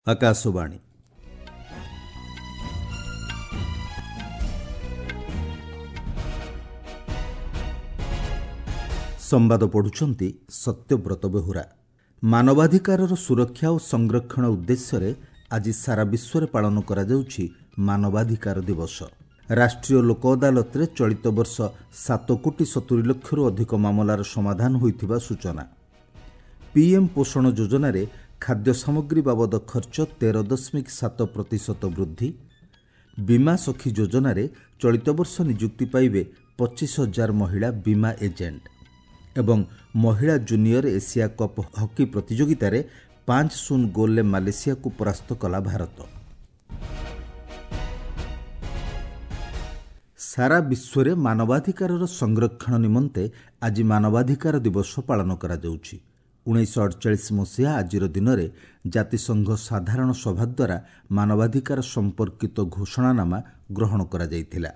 ଆକାଶବାଣୀ। ସମ୍ବାଦ ପଢ଼ୁଛନ୍ତି ସତ୍ୟବ୍ରତ ବେହୁରା। ମାନବାଧିକାରର ସୁରକ୍ଷା ଓ ସଂରକ୍ଷଣ ଉଦ୍ଦେଶ୍ୟରେ ଆଜି ସାରା ବିଶ୍ୱରେ ପାଳନ କରାଯାଉଛି ମାନବାଧିକାର ଦିବସ। ରାଷ୍ଟ୍ରୀୟ ଲୋକ ଅଦାଲତରେ ଚଳିତ ବର୍ଷ 7 କୋଟି 70 ଲକ୍ଷରୁ ଅଧିକ ମାମଲାର ସମାଧାନ ହୋଇଥିବା ସୂଚନା। ପିଏମ୍ ପୋଷଣ ଯୋଜନାରେ ଖାଦ୍ୟ ସାମଗ୍ରୀ ବାବଦ ଖର୍ଚ୍ଚ 13.7% ବୃଦ୍ଧି। ବୀମା ସଖୀ ଯୋଜନାରେ ଚଳିତ ବର୍ଷ ନିଯୁକ୍ତି ପାଇବେ 25 ହଜାର ମହିଳା ବୀମା ଏଜେଣ୍ଟ ଏବଂ ମହିଳା ଜୁନିୟର ଏସିଆ କପ୍ ହକି ପ୍ରତିଯୋଗିତାରେ 5-0 ଗୋଲ୍ରେ ମାଲେସିଆକୁ ପରାସ୍ତ କଲା ଭାରତ। ସାରା ବିଶ୍ୱରେ ମାନବାଧିକାରର ସଂରକ୍ଷଣ ନିମନ୍ତେ ଆଜି ମାନବାଧିକାର ଦିବସ ପାଳନ କରାଯାଉଛି। 1948 ମସିହା ଆଜିର ଦିନରେ ଜାତିସଂଘ ସାଧାରଣ ସଭା ଦ୍ୱାରା ମାନବାଧିକାର ସମ୍ପର୍କିତ ଘୋଷଣାନାମା ଗ୍ରହଣ କରାଯାଇଥିଲା।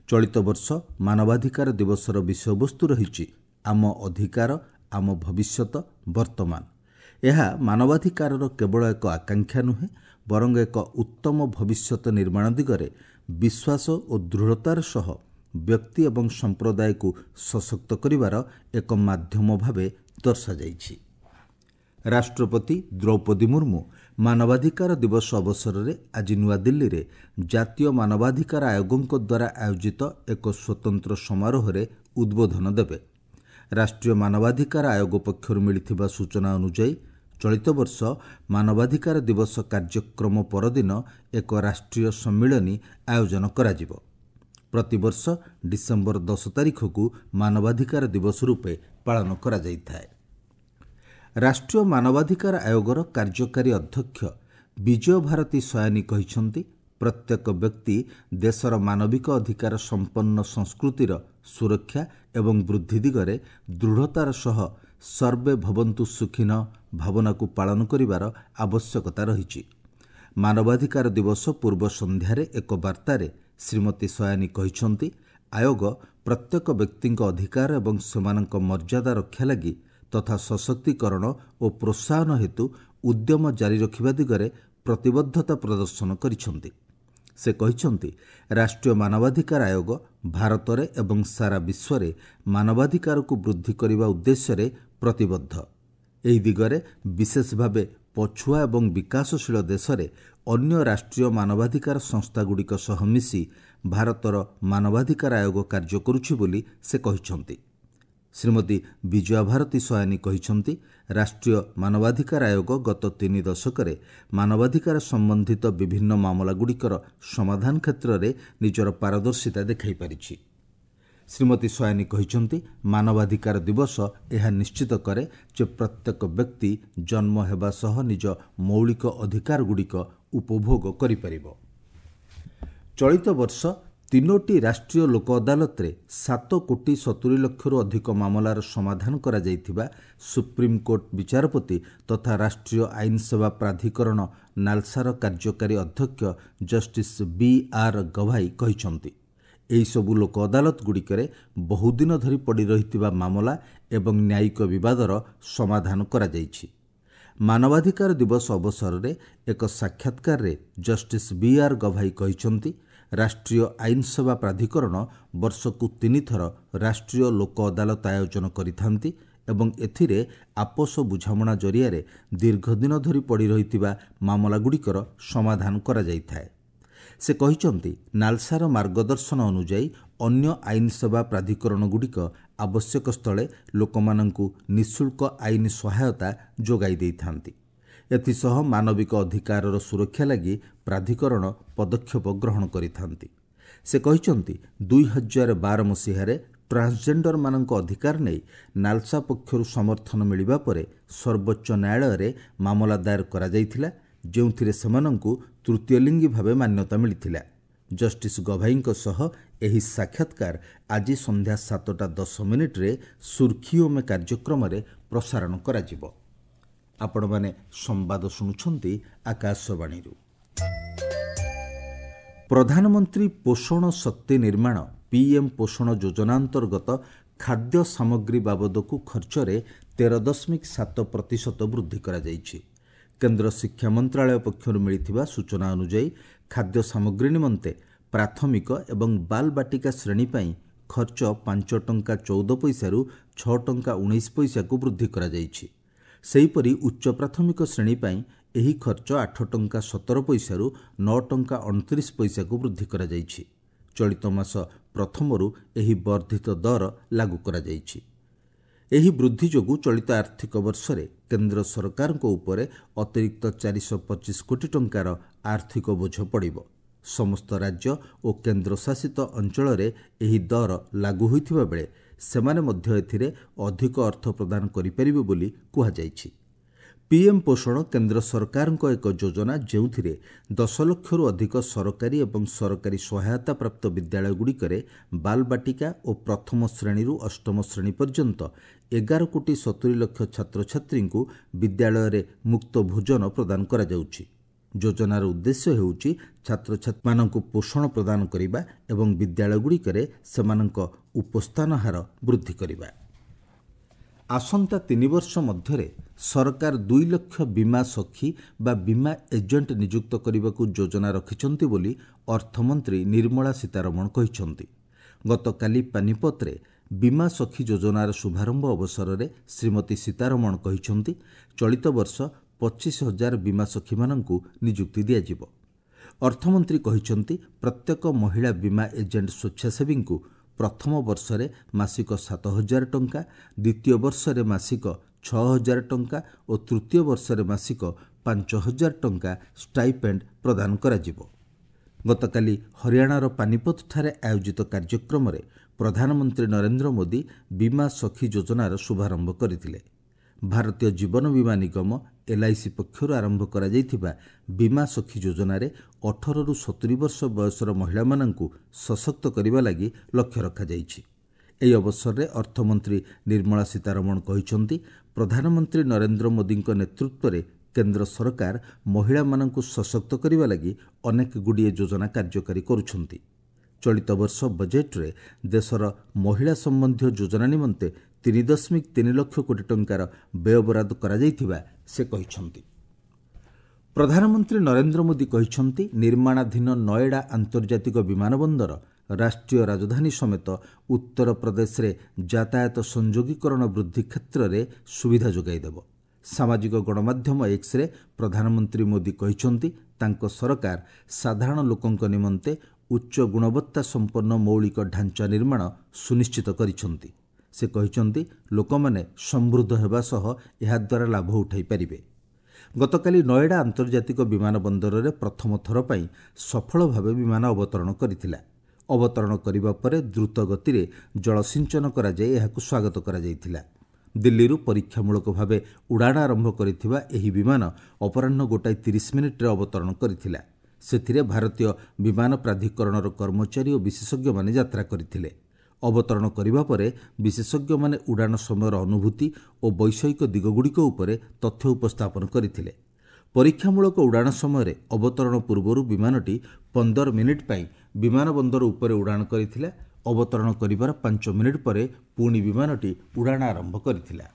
ଚଳିତ ବର୍ଷ ମାନବାଧିକାର ଦିବସର ବିଷୟବସ୍ତୁ ରହିଛି ଆମ ଅଧିକାର, ଆମ ଭବିଷ୍ୟତ, ବର୍ତ୍ତମାନ। ଏହା ମାନବାଧିକାରର କେବଳ ଏକ ଆକାଂକ୍ଷା ନୁହେଁ, ବରଂ ଏକ ଉତ୍ତମ ଭବିଷ୍ୟତ ନିର୍ମାଣ ଦିଗରେ ବିଶ୍ୱାସ ଓ ଦୃଢ଼ତାର ସହ ବ୍ୟକ୍ତି ଏବଂ ସମ୍ପ୍ରଦାୟକୁ ସଶକ୍ତ କରିବାର ଏକ ମାଧ୍ୟମ ଭାବେ ଦର୍ଶାଯାଇଛି। ରାଷ୍ଟ୍ରପତି ଦ୍ରୌପଦୀ ମୁର୍ମୁ ମାନବାଧିକାର ଦିବସ ଅବସରରେ ଆଜି ନୂଆଦିଲ୍ଲୀରେ ଜାତୀୟ ମାନବାଧିକାର ଆୟୋଗଙ୍କ ଦ୍ୱାରା ଆୟୋଜିତ ଏକ ସ୍ୱତନ୍ତ୍ର ସମାରୋହରେ ଉଦ୍ବୋଧନ ଦେବେ। ରାଷ୍ଟ୍ରୀୟ ମାନବାଧିକାର ଆୟୋଗ ପକ୍ଷରୁ ମିଳିଥିବା ସୂଚନା ଅନୁଯାୟୀ ଚଳିତ ବର୍ଷ ମାନବାଧିକାର ଦିବସ କାର୍ଯ୍ୟକ୍ରମ ପରଦିନ ଏକ ରାଷ୍ଟ୍ରୀୟ ସମ୍ମିଳନୀ ଆୟୋଜନ କରାଯିବ। ପ୍ରତିବର୍ଷ ଡିସେମ୍ବର 10 ତାରିଖକୁ ମାନବାଧିକାର ଦିବସ ରୂପେ ପାଳନ କରାଯାଇଥାଏ। ରାଷ୍ଟ୍ରୀୟ ମାନବାଧିକାର ଆୟୋଗର କାର୍ଯ୍ୟକାରୀ ଅଧ୍ୟକ୍ଷ ବିଜୟ ଭାରତୀ ସୟାନୀ କହିଛନ୍ତି, ପ୍ରତ୍ୟେକ ବ୍ୟକ୍ତି ଦେଶର ମାନବିକ ଅଧିକାର ସମ୍ପନ୍ନ ସଂସ୍କୃତିର ସୁରକ୍ଷା ଏବଂ ବୃଦ୍ଧି ଦିଗରେ ଦୃଢ଼ତାର ସହ ସର୍ବେ ଭବନ୍ତୁ ସୁଖିନ ଭାବନାକୁ ପାଳନ କରିବାର ଆବଶ୍ୟକତା ରହିଛି। ମାନବାଧିକାର ଦିବସ ପୂର୍ବ ସନ୍ଧ୍ୟାରେ ଏକ ବାର୍ତ୍ତାରେ ଶ୍ରୀମତୀ ସୟାନୀ କହିଛନ୍ତି, ଆୟୋଗ ପ୍ରତ୍ୟେକ ବ୍ୟକ୍ତିଙ୍କ ଅଧିକାର ଏବଂ ସେମାନଙ୍କ ମର୍ଯ୍ୟାଦା ରକ୍ଷା ଲାଗି ତଥା ସଶକ୍ତିକରଣ ଓ ପ୍ରୋତ୍ସାହନ ହେତୁ ଉଦ୍ୟମ ଜାରି ରଖିବା ଦିଗରେ ପ୍ରତିବଦ୍ଧତା ପ୍ରଦର୍ଶନ କରିଛନ୍ତି। ସେ କହିଛନ୍ତି, ରାଷ୍ଟ୍ରୀୟ ମାନବାଧିକାର ଆୟୋଗ ଭାରତରେ ଏବଂ ସାରା ବିଶ୍ୱରେ ମାନବାଧିକାରକୁ ବୃଦ୍ଧି କରିବା ଉଦ୍ଦେଶ୍ୟରେ ପ୍ରତିବଦ୍ଧ। ଏହି ଦିଗରେ ବିଶେଷ ଭାବେ ପଛୁଆ ଏବଂ ବିକାଶଶୀଳ ଦେଶରେ ଅନ୍ୟ ରାଷ୍ଟ୍ରୀୟ ମାନବାଧିକାର ସଂସ୍ଥାଗୁଡ଼ିକ ସହ ମିଶି ଭାରତର ମାନବାଧିକାର ଆୟୋଗ କାର୍ଯ୍ୟ କରୁଛି ବୋଲି ସେ କହିଛନ୍ତି। ଶ୍ରୀମତୀ ବିଜୟା ଭାରତୀ ସୟାନୀ କହିଛନ୍ତି, ରାଷ୍ଟ୍ରୀୟ ମାନବାଧିକାର ଆୟୋଗ ଗତ 3 ଦଶକରେ ମାନବାଧିକାର ସମ୍ବନ୍ଧିତ ବିଭିନ୍ନ ମାମଲାଗୁଡ଼ିକର ସମାଧାନ କ୍ଷେତ୍ରରେ ନିଜର ପାରଦର୍ଶିତା ଦେଖାଇପାରିଛି। ଶ୍ରୀମତୀ ସୟାନୀ କହିଛନ୍ତି, ମାନବାଧିକାର ଦିବସ ଏହା ନିଶ୍ଚିତ କରେ ଯେ ପ୍ରତ୍ୟେକ ବ୍ୟକ୍ତି ଜନ୍ମ ହେବା ସହ ନିଜ ମୌଳିକ ଅଧିକାରଗୁଡ଼ିକ ଉପଭୋଗ କରିପାରିବ। ଚଳିତ ବର୍ଷ 3ଟି ରାଷ୍ଟ୍ରୀୟ ଲୋକ ଅଦାଲତରେ 7 କୋଟି 70 ଲକ୍ଷରୁ ଅଧିକ ମାମଲାର ସମାଧାନ କରାଯାଇଥିବା ସୁପ୍ରିମକୋର୍ଟ ବିଚାରପତି ତଥା ରାଷ୍ଟ୍ରୀୟ ଆଇନ ସେବା ପ୍ରାଧିକରଣ ନାଲସାର କାର୍ଯ୍ୟକାରୀ ଅଧ୍ୟକ୍ଷ ଜଷ୍ଟିସ୍ ବି ଆର୍ ଗଭାଇ କହିଛନ୍ତି। ଏହିସବୁ ଲୋକ ଅଦାଲତଗୁଡ଼ିକରେ ବହୁଦିନ ଧରି ପଡ଼ି ରହିଥିବା ମାମଲା ଏବଂ ନ୍ୟାୟିକ ବିବାଦର ସମାଧାନ କରାଯାଇଛି। ମାନବାଧିକାର ଦିବସ ଅବସରରେ ଏକ ସାକ୍ଷାତକାରରେ ଜଷ୍ଟିସ୍ ବି ଆର୍ ଗଭାଇ କହିଛନ୍ତି, ରାଷ୍ଟ୍ରୀୟ ଆଇନ ସେବା ପ୍ରାଧିକରଣ ବର୍ଷକୁ 3 ଥର ରାଷ୍ଟ୍ରୀୟ ଲୋକ ଅଦାଲତ ଆୟୋଜନ କରିଥାନ୍ତି ଏବଂ ଏଥିରେ ଆପୋଷ ବୁଝାମଣା ଜରିଆରେ ଦୀର୍ଘଦିନ ଧରି ପଡ଼ି ରହିଥିବା ମାମଲାଗୁଡ଼ିକର ସମାଧାନ କରାଯାଇଥାଏ। ସେ କହିଛନ୍ତି, ନାଲସାର ମାର୍ଗଦର୍ଶନ ଅନୁଯାୟୀ ଅନ୍ୟ ଆଇନ ସେବା ପ୍ରାଧିକରଣଗୁଡ଼ିକ ଆବଶ୍ୟକ ସ୍ଥଳେ ଲୋକମାନଙ୍କୁ ନିଃଶୁଳ୍କ ଆଇନ ସହାୟତା ଯୋଗାଇ ଦେଇଥାନ୍ତି। ଏଥିସହ ମାନବିକ ଅଧିକାରର ସୁରକ୍ଷା ଲାଗି ପ୍ରାଧିକରଣ ପଦକ୍ଷେପ ଗ୍ରହଣ କରିଥାନ୍ତି। ସେ କହିଛନ୍ତି, 2012 ମସିହାରେ ଟ୍ରାନ୍ସଜେଣ୍ଡରମାନଙ୍କ ଅଧିକାର ନେଇ ନାଲସା ପକ୍ଷରୁ ସମର୍ଥନ ମିଳିବା ପରେ ସର୍ବୋଚ୍ଚ ନ୍ୟାୟାଳୟରେ ମାମଲା ଦାୟର କରାଯାଇଥିଲା, ଯେଉଁଥିରେ ସେମାନଙ୍କୁ ତୃତୀୟଲିଙ୍ଗୀ ଭାବେ ମାନ୍ୟତା ମିଳିଥିଲା। ଜଷ୍ଟିସ୍ ଗଭାଇଙ୍କ ସହ ଏହି ସାକ୍ଷାତକାର ଆଜି ସନ୍ଧ୍ୟା 7:10 ସୁର୍ଖିଓ ମେ କାର୍ଯ୍ୟକ୍ରମରେ ପ୍ରସାରଣ କରାଯିବ। ଆପଣମାନେ ସମ୍ବାଦ ଶୁଣୁଛନ୍ତି ଆକାଶବାଣୀରୁ। ପ୍ରଧାନମନ୍ତ୍ରୀ ପୋଷଣ ଶକ୍ତି ନିର୍ମାଣ ପିଏମ୍ ପୋଷଣ ଯୋଜନା ଅନ୍ତର୍ଗତ ଖାଦ୍ୟ ସାମଗ୍ରୀ ବାବଦକୁ ଖର୍ଚ୍ଚରେ 13.7% ବୃଦ୍ଧି କରାଯାଇଛି। କେନ୍ଦ୍ର ଶିକ୍ଷା ମନ୍ତ୍ରାଳୟ ପକ୍ଷରୁ ମିଳିଥିବା ସୂଚନା ଅନୁଯାୟୀ ଖାଦ୍ୟ ସାମଗ୍ରୀ ନିମନ୍ତେ ପ୍ରାଥମିକ ଏବଂ ବାଲବାଟିକା ଶ୍ରେଣୀ ପାଇଁ ଖର୍ଚ୍ଚ 5 ଟଙ୍କା 14 ପଇସାରୁ 6 ଟଙ୍କା 19 ପଇସାକୁ ବୃଦ୍ଧି କରାଯାଇଛି। ସେହିପରି ଉଚ୍ଚ ପ୍ରାଥମିକ ଶ୍ରେଣୀ ପାଇଁ ଏହି ଖର୍ଚ୍ଚ 8 ଟଙ୍କା 17 ପଇସାରୁ 9 ଟଙ୍କା 29 ପଇସାକୁ ବୃଦ୍ଧି କରାଯାଇଛି। ଚଳିତ ମାସ ପ୍ରଥମରୁ ଏହି ବର୍ଦ୍ଧିତ ଦର ଲାଗୁ କରାଯାଇଛି। ଏହି ବୃଦ୍ଧି ଯୋଗୁଁ ଚଳିତ ଆର୍ଥିକ ବର୍ଷରେ କେନ୍ଦ୍ର ସରକାରଙ୍କ ଉପରେ ଅତିରିକ୍ତ 425 କୋଟି ଟଙ୍କାର ଆର୍ଥିକ ବୋଝ ପଡ଼ିବ। ସମସ୍ତ ରାଜ୍ୟ ଓ କେନ୍ଦ୍ରଶାସିତ ଅଞ୍ଚଳରେ ଏହି ଦର ଲାଗୁ ହୋଇଥିବା ବେଳେ ସେମାନେ ମଧ୍ୟ ଏଥିରେ ଅଧିକ ଅର୍ଥ ପ୍ରଦାନ କରିପାରିବେ ବୋଲି କୁହାଯାଇଛି। ପିଏମ୍ ପୋଷଣ କେନ୍ଦ୍ର ସରକାରଙ୍କ ଏକ ଯୋଜନା, ଯେଉଁଥିରେ 10 ଲକ୍ଷରୁ ଅଧିକ ସରକାରୀ ଏବଂ ସରକାରୀ ସହାୟତା ପ୍ରାପ୍ତ ବିଦ୍ୟାଳୟଗୁଡ଼ିକରେ ବାଲବାଟିକା ଓ ପ୍ରଥମ ଶ୍ରେଣୀରୁ ଅଷ୍ଟମ ଶ୍ରେଣୀ ପର୍ଯ୍ୟନ୍ତ 11 କୋଟି 70 ଲକ୍ଷ ଛାତ୍ରଛାତ୍ରୀଙ୍କୁ ବିଦ୍ୟାଳୟରେ ମୁକ୍ତ ଭୋଜନ ପ୍ରଦାନ କରାଯାଉଛି। ଯୋଜନାର ଉଦ୍ଦେଶ୍ୟ ହେଉଛି ଛାତ୍ରଛାତ୍ରୀମାନଙ୍କୁ ପୋଷଣ ପ୍ରଦାନ କରିବା ଏବଂ ବିଦ୍ୟାଳୟଗୁଡ଼ିକରେ ସେମାନଙ୍କ ଉପସ୍ଥାନ ହାର ବୃଦ୍ଧି କରିବା। ଆସନ୍ତା 3 ବର୍ଷ ମଧ୍ୟରେ ସରକାର 2 ଲକ୍ଷ ବୀମା ସଖୀ ବା ବୀମା ଏଜେଣ୍ଟ ନିଯୁକ୍ତ କରିବାକୁ ଯୋଜନା ରଖିଛନ୍ତି ବୋଲି ଅର୍ଥମନ୍ତ୍ରୀ ନିର୍ମଳା ସୀତାରମଣ କହିଛନ୍ତି। ଗତକାଲି ପାନିପତରେ ବୀମା ସଖୀ ଯୋଜନାର ଶୁଭାରମ୍ଭ ଅବସରରେ ଶ୍ରୀମତୀ ସୀତାରମଣ କହିଛନ୍ତି, ଚଳିତ ବର୍ଷ 25,000 ବୀମା ସଖୀମାନଙ୍କୁ ନିଯୁକ୍ତି ଦିଆଯିବ। ଅର୍ଥମନ୍ତ୍ରୀ କହିଛନ୍ତି, ପ୍ରତ୍ୟେକ ମହିଳା ବୀମା ଏଜେଣ୍ଟ ସ୍ୱେଚ୍ଛାସେବୀଙ୍କୁ ପ୍ରଥମ ବର୍ଷରେ ମାସିକ 7,000 ଟଙ୍କା, ଦ୍ୱିତୀୟ ବର୍ଷରେ ମାସିକ 6,000 ଟଙ୍କା ଓ ତୃତୀୟ ବର୍ଷରେ ମାସିକ 5,000 ଟଙ୍କା ଷ୍ଟାଇପେଣ୍ଡ ପ୍ରଦାନ କରାଯିବ। ଗତକାଲି ହରିୟାଣାର ପାନିପତଠାରେ ଆୟୋଜିତ କାର୍ଯ୍ୟକ୍ରମରେ ପ୍ରଧାନମନ୍ତ୍ରୀ ନରେନ୍ଦ୍ର ମୋଦି ବୀମା ସଖୀ ଯୋଜନାର ଶୁଭାରମ୍ଭ କରିଥିଲେ। ଭାରତୀୟ ଜୀବନ ବୀମା ନିଗମ ଏଲ୍ଆଇସି ପକ୍ଷରୁ ଆରମ୍ଭ କରାଯାଇଥିବା ବୀମା ସଖୀ ଯୋଜନାରେ 18ରୁ 70 ବର୍ଷ ବୟସର ମହିଳାମାନଙ୍କୁ ସଶକ୍ତ କରିବା ଲାଗି ଲକ୍ଷ୍ୟ ରଖାଯାଇଛି। ଏହି ଅବସରରେ ଅର୍ଥମନ୍ତ୍ରୀ ନିର୍ମଳା ସୀତାରମଣ କହିଛନ୍ତି, ପ୍ରଧାନମନ୍ତ୍ରୀ ନରେନ୍ଦ୍ର ମୋଦିଙ୍କ ନେତୃତ୍ୱରେ କେନ୍ଦ୍ର ସରକାର ମହିଳାମାନଙ୍କୁ ସଶକ୍ତ କରିବା ଲାଗି ଅନେକ ଗୁଡ଼ିଏ ଯୋଜନା କାର୍ଯ୍ୟକାରୀ କରୁଛନ୍ତି। ଚଳିତ ବର୍ଷ ବଜେଟ୍ରେ ଦେଶର ମହିଳା ସମ୍ବନ୍ଧୀୟ ଯୋଜନା ନିମନ୍ତେ 3.3 ଲକ୍ଷ କୋଟି ଟଙ୍କାର ବ୍ୟୟବରାଦ କରାଯାଇଥିବା ସେ କହିଛନ୍ତି। ପ୍ରଧାନମନ୍ତ୍ରୀ ନରେନ୍ଦ୍ର ମୋଦି କହିଛନ୍ତି, ନିର୍ମାଣାଧୀନ ନଏଡା ଆନ୍ତର୍ଜାତିକ ବିମାନ ବନ୍ଦର ରାଷ୍ଟ୍ରୀୟ ରାଜଧାନୀ ସମେତ ଉତ୍ତରପ୍ରଦେଶରେ ଯାତାୟାତ ସଂଯୋଗୀକରଣ ବୃଦ୍ଧି କ୍ଷେତ୍ରରେ ସୁବିଧା ଯୋଗାଇଦେବ। ସାମାଜିକ ଗଣମାଧ୍ୟମ ଏକ୍ସରେ ପ୍ରଧାନମନ୍ତ୍ରୀ ମୋଦି କହିଛନ୍ତି, ତାଙ୍କ ସରକାର ସାଧାରଣ ଲୋକଙ୍କ ନିମନ୍ତେ ଉଚ୍ଚ ଗୁଣବତ୍ତା ସମ୍ପନ୍ନ ମୌଳିକ ଢାଞ୍ଚା ନିର୍ମାଣ ସୁନିଶ୍ଚିତ କରିଛନ୍ତି। ସେ କହିଛନ୍ତି, ଲୋକମାନେ ସମୃଦ୍ଧ ହେବା ସହ ଏହାଦ୍ୱାରା ଲାଭ ଉଠାଇ ପାରିବେ। ଗତକାଲି ନଏଡା ଆନ୍ତର୍ଜାତିକ ବିମାନ ବନ୍ଦରରେ ପ୍ରଥମ ଥର ପାଇଁ ସଫଳ ଭାବେ ବିମାନ ଅବତରଣ କରିଥିଲା। ଅବତରଣ କରିବା ପରେ ଦ୍ରୁତ ଗତିରେ ଜଳସିଞ୍ଚନ କରାଯାଇ ଏହାକୁ ସ୍ୱାଗତ କରାଯାଇଥିଲା। ଦିଲ୍ଲୀରୁ ପରୀକ୍ଷାମୂଳକ ଭାବେ ଉଡ଼ାଣ ଆରମ୍ଭ କରିଥିବା ଏହି ବିମାନ ଅପରାହ୍ନ 1:30 ଅବତରଣ କରିଥିଲା। ସେଥିରେ ଭାରତୀୟ ବିମାନ ପ୍ରାଧିକରଣର କର୍ମଚାରୀ ଓ ବିଶେଷଜ୍ଞମାନେ ଯାତ୍ରା କରିଥିଲେ। ଅବତରଣ କରିବା ପରେ ବିଶେଷଜ୍ଞମାନେ ଉଡ଼ାଣ ସମୟର ଅନୁଭୂତି ଓ ବୈଷୟିକ ଦିଗଗୁଡ଼ିକ ଉପରେ ତଥ୍ୟ ଉପସ୍ଥାପନ କରିଥିଲେ। ପରୀକ୍ଷାମୂଳକ ଉଡ଼ାଣ ସମୟରେ ଅବତରଣ ପୂର୍ବରୁ ବିମାନଟି 15 ମିନିଟ୍ ପାଇଁ ବିମାନ ବନ୍ଦର ଉପରେ ଉଡ଼ାଣ କରିଥିଲା। ଅବତରଣ କରିବାର 5 ମିନିଟ୍ ପରେ ପୁଣି ବିମାନଟି ଉଡ଼ାଣ ଆରମ୍ଭ କରିଥିଲା।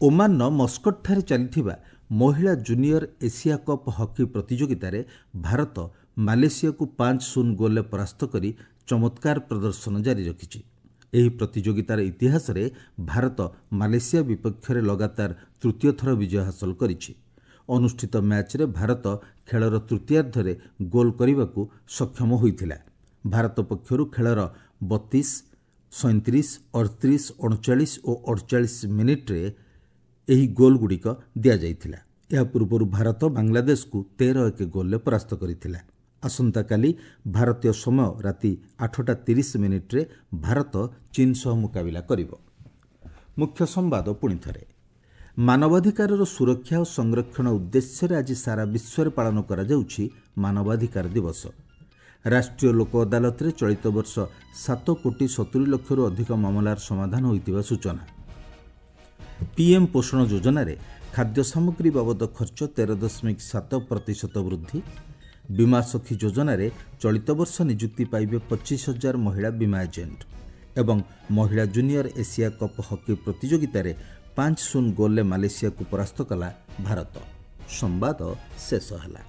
ଓମାନର ମସ୍କଟଠାରେ ଚାଲିଥିବା ମହିଳା ଜୁନିୟର ଏସିଆ କପ୍ ହକି ପ୍ରତିଯୋଗିତାରେ ଭାରତ ମାଲେସିଆକୁ 5-0 ଗୋଲରେ ପରାସ୍ତ କରି ଚମତ୍କାର ପ୍ରଦର୍ଶନ ଜାରି ରଖିଛି। ଏହି ପ୍ରତିଯୋଗିତାର ଇତିହାସରେ ଭାରତ ମାଲେସିଆ ବିପକ୍ଷରେ ଲଗାତାର ତୃତୀୟ ଥର ବିଜୟ ହାସଲ କରିଛି। ଅନୁଷ୍ଠିତ ମ୍ୟାଚ୍ରେ ଭାରତ ଖେଳର ତୃତୀୟାର୍ଦ୍ଧରେ ଗୋଲ୍ କରିବାକୁ ସକ୍ଷମ ହୋଇଥିଲା। ଭାରତ ପକ୍ଷରୁ ଖେଳର 32, 37, 38, 39 ଓ 48 ମିନିଟ୍ରେ ଏହି ଗୋଲ୍ଗୁଡ଼ିକ ଦିଆଯାଇଥିଲା। ଏହା ପୂର୍ବରୁ ଭାରତ ବାଂଲାଦେଶକୁ 13-1 ଗୋଲ୍ରେ ପରାସ୍ତ କରିଥିଲା। ଆସନ୍ତାକାଲି ଭାରତୀୟ ସମୟ ରାତି 8:30 ଭାରତ ଚୀନ୍ ସହ ମୁକାବିଲା କରିବ। ମୁଖ୍ୟ ସମ୍ବାଦ ପୁଣିଥରେ। ମାନବାଧିକାରର ସୁରକ୍ଷା ଓ ସଂରକ୍ଷଣ ଉଦ୍ଦେଶ୍ୟରେ ଆଜି ସାରା ବିଶ୍ୱରେ ପାଳନ କରାଯାଉଛି ମାନବାଧିକାର ଦିବସ। ରାଷ୍ଟ୍ରୀୟ ଲୋକ ଅଦାଲତରେ ଚଳିତ ବର୍ଷ 7 କୋଟି 70 ଲକ୍ଷରୁ ଅଧିକ ମାମଲାର ସମାଧାନ ହୋଇଥିବା ସୂଚନା। ପିଏମ୍ ପୋଷଣ ଯୋଜନାରେ ଖାଦ୍ୟ ସାମଗ୍ରୀ ବାବଦ ଖର୍ଚ୍ଚ 13.7% ବୃଦ୍ଧି। ବୀମା ସଖୀ ଯୋଜନାରେ ଚଳିତ ବର୍ଷ ନିଯୁକ୍ତି ପାଇବେ 25,000 ମହିଳା ବୀମା ଏଜେଣ୍ଟ। ଏବଂ ମହିଳା ଜୁନିୟର ଏସିଆ କପ୍ ହକି ପ୍ରତିଯୋଗିତାରେ 5-0 ଗୋଲ୍ରେ ମାଲେସିଆକୁ ପରାସ୍ତ କଲା ଭାରତ। ସମ୍ବାଦ ଶେଷ ହେଲା।